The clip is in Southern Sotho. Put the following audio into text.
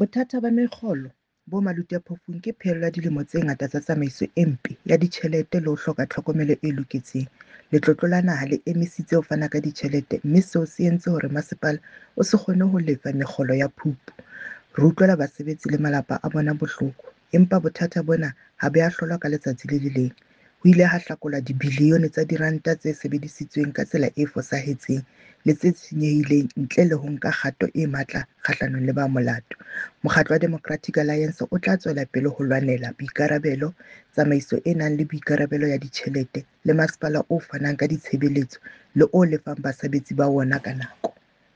Bothata ba mekgolo bo maluti-a-phofung ke phaello ya dilemo tse ngata tsa tsamaiso e mpe ya ditjhelete le ho hloka tlhokomelo e loketseng. Letlotlo la Naha le emisitse ho fana ka ditjhelete mme seo se entse hore masepala o se kgone ho lefa mekgolo ya Phupu. Re utlwela basebetsi le malapa a bona bohloko, empa bothata bona ha bo a hlolwa ka letsatsi le le leng. Ho ile ha hlakolwa dibilione tsa diranta tse sebedisitsweng ka tsela e fosahetseng le tse senyehileng ntle le ho nka kgato e matla kgahlanong le ba molato. Mokgatlo wa Democratic Alliance o tla tswela pele ho lwanela boikarabelo, tsamaiso e nang le boikarabelo ya ditjhelete le masepala o fanang ka ditshebeletso le o lefang basebetsi ba wona ka nako.